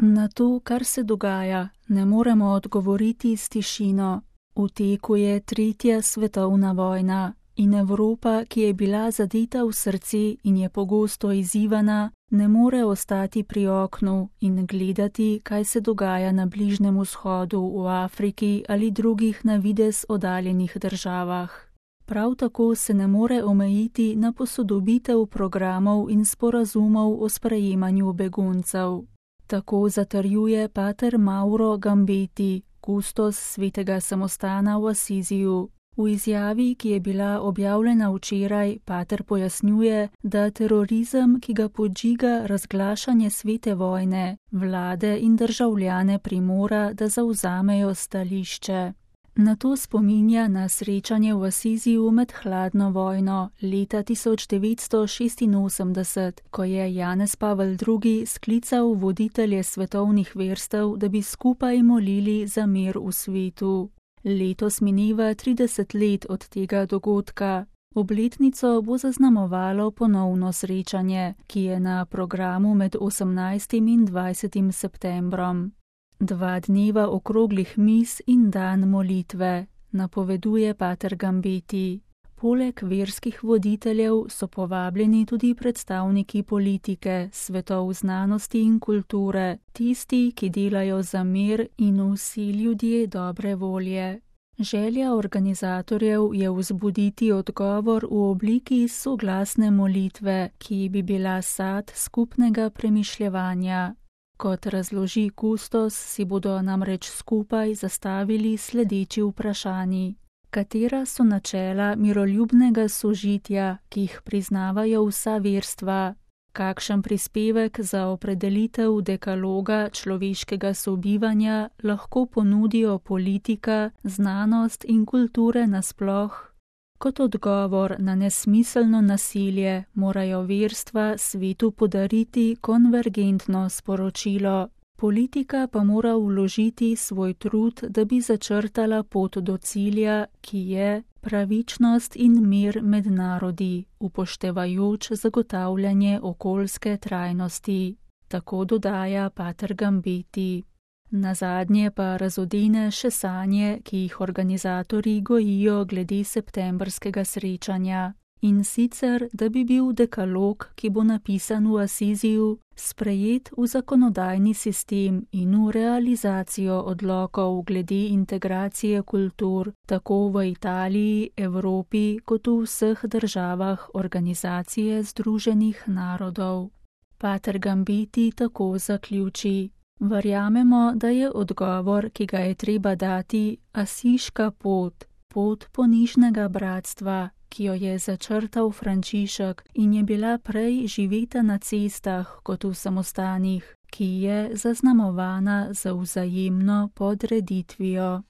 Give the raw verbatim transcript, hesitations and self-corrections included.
Na to, kar se dogaja, ne moremo odgovoriti s tišino. V teku je tretja svetovna vojna in Evropa, ki je bila zadeta v srce in je pogosto izzivana, ne more ostati pri oknu in gledati, kaj se dogaja na Bližnjem vzhodu, v Afriki ali drugih na videz oddaljenih državah. Prav tako se ne more omejiti na posodobitev programov in sporazumov o sprejemanju beguncev. Tako zatrjuje pater Mauro Gambeti, kustos svetega samostana v Asiziju. V izjavi, ki je bila objavljena včeraj, pater pojasnjuje, da terorizem, ki ga podžiga razglašanje svete vojne, vlade in državljane primora, da zavzamejo stališče. Na to spominja na srečanje v Asiziju med hladno vojno leta tisoč devetsto šestinosemdeset, ko je Janez Pavel drugi sklical voditelje svetovnih verstev, da bi skupaj molili za mir v svetu. Letos mineva trideset let od tega dogodka. Obletnico bo zaznamovalo ponovno srečanje, ki je na programu med osemnajstim in dvajsetim septembrom. Dva dneva okroglih mis in dan molitve, napoveduje pater Gambeti. Poleg verskih voditeljev so povabljeni tudi predstavniki politike, svetov znanosti in kulture, tisti, ki delajo za mir in vsi ljudje dobre volje. Želja organizatorjev je vzbuditi odgovor v obliki soglasne molitve, ki bi bila sad skupnega premišljevanja. Kot razloži kustos, si bodo namreč skupaj zastavili sledeči vprašanji. Katera so načela miroljubnega sožitja, ki jih priznavajo vsa verstva? Kakšen prispevek za opredelitev dekaloga človeškega sobivanja lahko ponudijo politika, znanost in kulture nasploh? Kot odgovor na nesmiselno nasilje morajo verstva svetu podariti konvergentno sporočilo. Politika pa mora vložiti svoj trud, da bi začrtala pot do cilja, ki je pravičnost in mir med narodi, upoštevajoč zagotavljanje okoljske trajnosti. Tako dodaja pater Gambeti. Nazadnje pa razodene še sanje, ki jih organizatorji gojijo glede septembrskega srečanja. In sicer, da bi bil dekalog, ki bo napisan v Asiziju, sprejet v zakonodajni sistem in v realizacijo odlokov glede integracije kultur, tako v Italiji, Evropi, kot v vseh državah Organizacije združenih narodov. Pater Gambeti tako zaključi. Verjamemo, da je odgovor, ki ga je treba dati, asiška pot, pot ponižnega bratstva, ki jo je začrtal Frančišek in je bila prej živeta na cestah kot v samostanih, ki je zaznamovana z vzajemno podreditvijo.